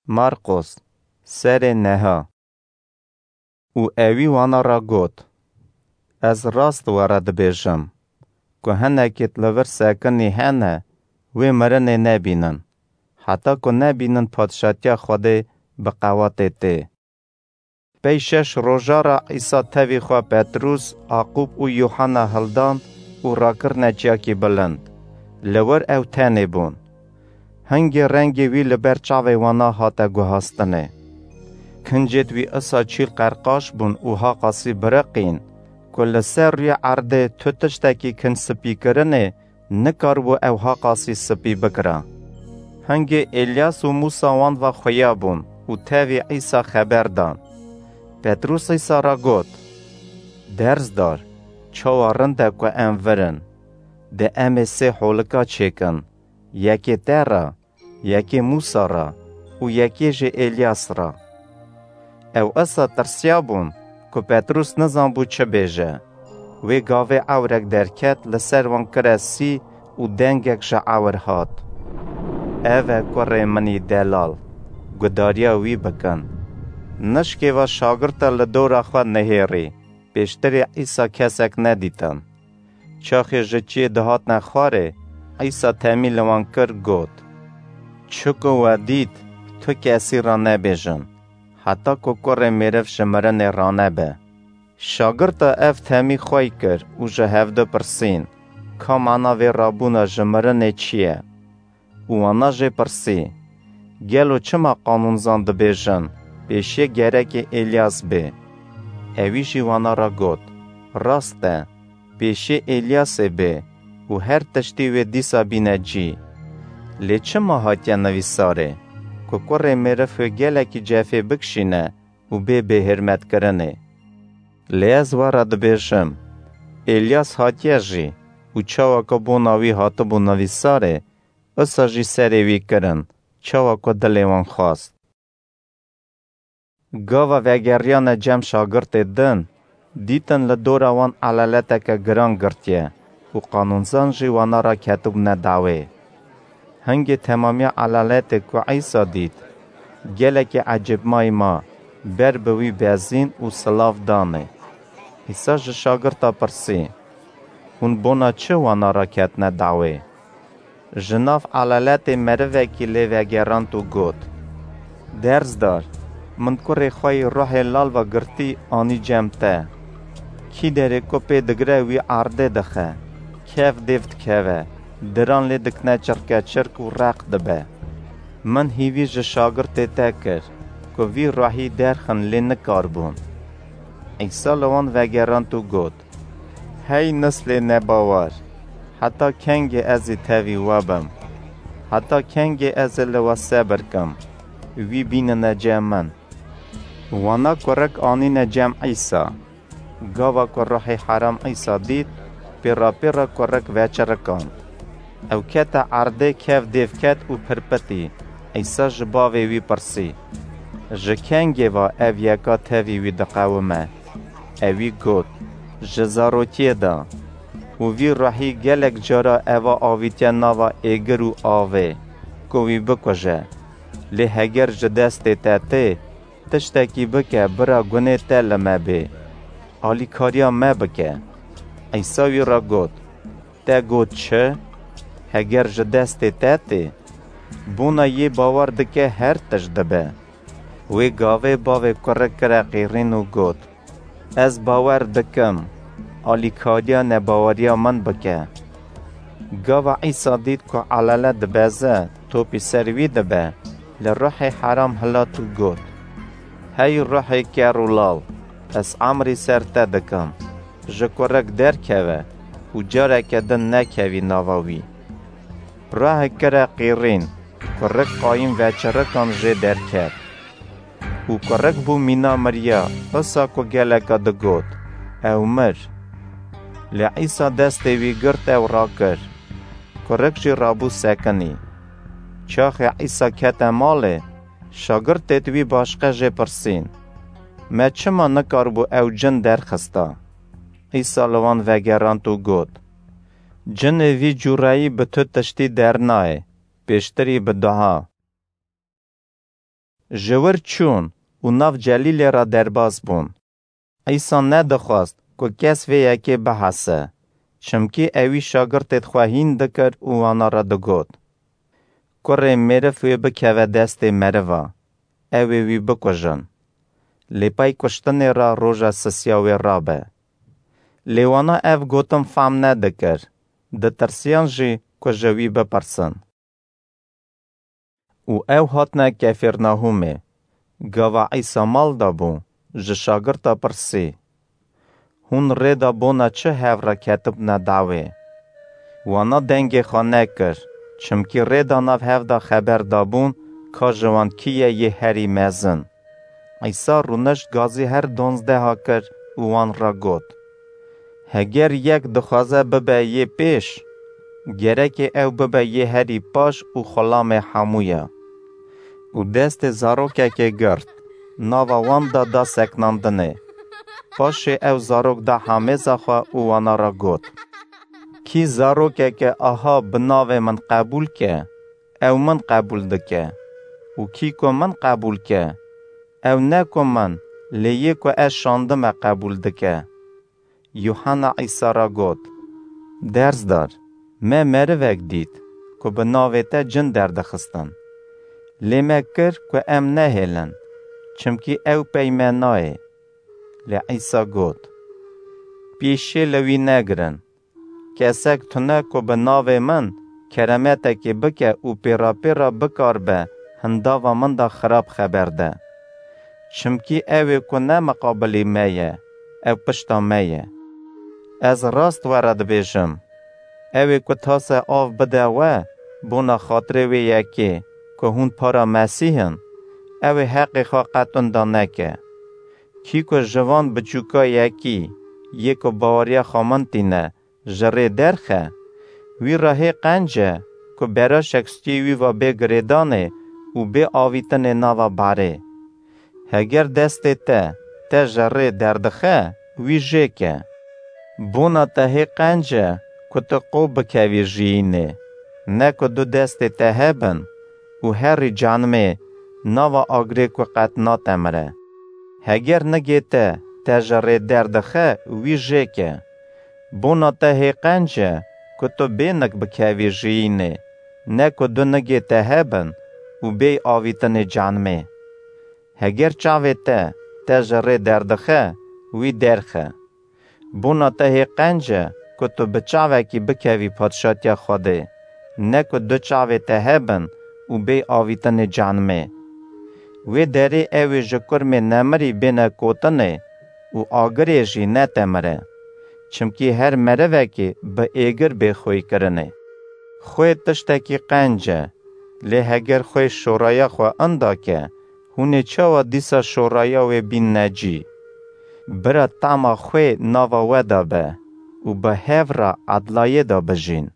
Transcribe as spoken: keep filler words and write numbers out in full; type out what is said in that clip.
Marqos, serê neha. Û ewî wana ra got, Ez rast we re dibêjim, ku hinekêt li vir sekinî hene, wê mirinê nebînin, heta ku nebînin padşatiya Xwedê bi qewatê tê. Pey şeş roja ra Îsa tevî xwe Petrûs, Aqûb û Yûhena hildan û rakirine ciyakî bilind. Li wir ew tenê bûn. Hingê rengê wî li ber çavê wana hate guhastinê. Kincêt wî isa çîl qerqaş bûn û haqasî biriqîn, ku li ser rûyê erdê tu tiştekî kinc spîkirinê nikaribû ew haqasî spî bikira. Hingê Elyas û Mûsa wan ve xuya bûn û tevî Îsa xeber dan. Petrûs Îsa re got, Derzdar, çawa rind e ku em vir in. De em ê sê holika çêkin, yekê te re, yekê Mûsa re û yekê jî Elyas re. Ew isa tirsiyabûn ku Petrûs nizanbû çi bêje. Wê gavê ewrek derket, li ser wan kire sî û dengek ji ewr hat, Ev e kurê min î delal, gudariya wî bikin. Nişkê ve şagirta li dora xwe nihêrî, pêştirî Îsa kesek nedîtin. Çaxê ji çiyê dihatine xwarê, Îsa temî li wan kir, got, Çi ku we dît, tu kesî re nebêjin, heta ku kurê mêriv ji mirinê ranebe. Şagirta ev temî xwey kir û ji hevdu pirsîn, Ka mana vê rabûna ji mirinê çi ye? Û wana jê pirsî, Gelo çima qanûnzan dibêjin, pêşiyê gerekê Elyas bê? Ewî jî wana re got, Rast e, pêşiyê Elyasê bê û her tiştî wê dîsa bîne cî. Lê çima hatiye nivîsarê, ku kurê mêriv wê gelekî cefê bikişîne û bê bêhirmetkirinê? Lê ez we re dibêjim, Elyas hatiye jî û çawa ku bona wî hatibû nivîsarê, isa jî serê wî kirin, çawa ku dilê wan xwast. Gava vegeriyane cem şagirtê din, dîtin li dora wan elaleteke giran girtiye û qanûnzan jî wana re ketibûne dawê. Hingê temamiya elaletê ku Îsa dît, gelekî ecêbmayî ma, ber bi wî bezîn û silav danê. Îsa ji şagirta pirsî, Hûn bona çi wana re ketine dawê? Ji nav elaletê merivekî lê vegerand û got, Derzdar, min kurê xwe yî ruhê lal ve girtî anî cem te. Kî derê ku pê digire wî erdê dixe, kev dêv dikeve, diran lê dikine çirkeçirk û req dibe. Min hîvî ji şagirtê te kir, ku vî ruhî derxin lê nikaribûn. Îsa li wan vegerand û got, Hey nislê nebawer, heta kengê ez ê tevî we bim? Heta kengê ez ê li we sebir kim, wî bînine cem min? Wana kurik anîne cem Îsa. Gava ku ruhê heram Îsa dît, pêra pêra kurik veçirikand. Ew kete erdê, kev dêv ket û pirpitî. Îsa ji bavê wî pirsî, Ji kengê ve ev yeka tevî wî diqewime? Ewî got, Ji zarokiyê de. Û vî ruhî gelek cara eva avîtiye nava êgir û avê, ku wî bikuje. Lê heger ji destê te tê, tiştekî bike bira gunê te li me bê. Alîkariya me bike. Îsa wî re got, Te got çi? Heger ji destê te tê, bona yê bawer dike her tişt dibe. Wê gavê bavê kurik kire qîrîn û got, Ez bawer dikim, alîkariya nebaweriya min bike. Gava Îsa dît ku elele dibeze, topî ser wî dibe, li ruhê heram hilat û got, Hey ruhê ker û lal, ez emrî ser te dikim, ji kurik derkeve û careke din nekevî nava wî. Ruhê kire qîrîn, kurik qayîm veçirikan jê derket. Û kurik bû mîna miriya, isa ku geleka digot, Ew mir. Lê Îsa destê wî girt ew rakir. Kurik jî rabû sekinî. Çaxê Îsa kete malê, şagirtêd wî başqe jê pirsîn, Me çima nikaribû ew cin derxista? Îsa li wan vegerand û got, Cinê vî cûreyî bi tu tiştî dernayê, pêştirî bi dua. Ji wir çûn û nav Celîlê re derbas bûn. Îsa nedixwest ku kes vê yekê bihese, çimkî ewî şagirtêd xwe hîn dikir û wana re digot, Kurê mêriv wê bikeve destê meriva, ew ê wî bikujin. Lê pey kuştinê re roja sisiya wê rabe. Lê wana ev gotin fam nedikir, ditirsiyan jî ku ji wî bipirsin. Û ew hatine Kefîrnahûmê. Gava Îsa mal de bû, ji şagirta pirsî, Hûn rê de bona çi hev re ketibne dawê? Wana dengê xwe nekir, çimkî rê de nav hev de xeber dabûn ka ji wan kî ye yê herî mezin. Îsa rûnişt gazî her donzdeha kir û wan re got, Heger yek dixwaze bibe yê pêş, gerekê ew bibe yê herî paş û xulamê hemû ya. Û destê zarokekê girt, nava wan da da seknandinê. Paşê ew zarok da hamêza xwe û wana re got, Kî zarokeke aha bi navê min qebûl ke, ew min qebûl dike. Û kî ku min qebûl ke, ew ne ku min, lê yê ku ez şandime qebûl dike. Yuhanna Îsa re got, Dersdar, me merivek dît ku bi navê te cin derdixistin. Lê me kir ku em nehêlin, çimkî ew pey me nayê. Lê Îsa got, Pêşê li wî negirin. Kesek tune ku bi navê min keremetekê bike û pêrapêra bikaribe hindava min de xirab xeber de. Çimkî ew ê ku ne miqabilî me ye, ew pişta me ye. Ez rast we re dibêjim, ew ê ku tase av bide we bona xatirê wê yekê ku hûn para Mesîh in, ew ê heqê xwe qet inda neke. Kî ku ji van biçûka yekî yê ku baweriya xwe min tîne, ji rê derxe, wî re hê qenc e ku beraşek stûyê wî ve bê girêdanê û bê avîtinê nava barê. Heger destê te te ji rê derdixe, wî jê ke. Bona te hê qenc e ku tu qo bikevî jiyînê, ne ku du destê te hebin û herî canimê nava agirê ku qet natemire. Heger nigê te te ji rê derdixe, wî jê ke. Bona te hê qenc e ku tu bê nik bikevî jiyînê, ne ku du nigê te hebin û bêy avîtinê canimê. Heger çavê te te ji rê derdixe, wî derxe. Bona te hê qenc e ku tu bi çavekî bikevî padşatiya Xwedê, ne ku du çavê te hebin û bêy avîtinê canimê. Wê derê ew ê ji kurmê nemirî bêne kotinê û agirê jî netemire. Çimkî her merivekê bi êgir bê xwêkirinê. Xwê tiştekî qenc e, lê heger xwê şoraya xwe inda ke, hûn ê çawa dîsa şoraya wê bînne cî? Bira tama xwê nava we de be û bi hev re edlayê de bijîn.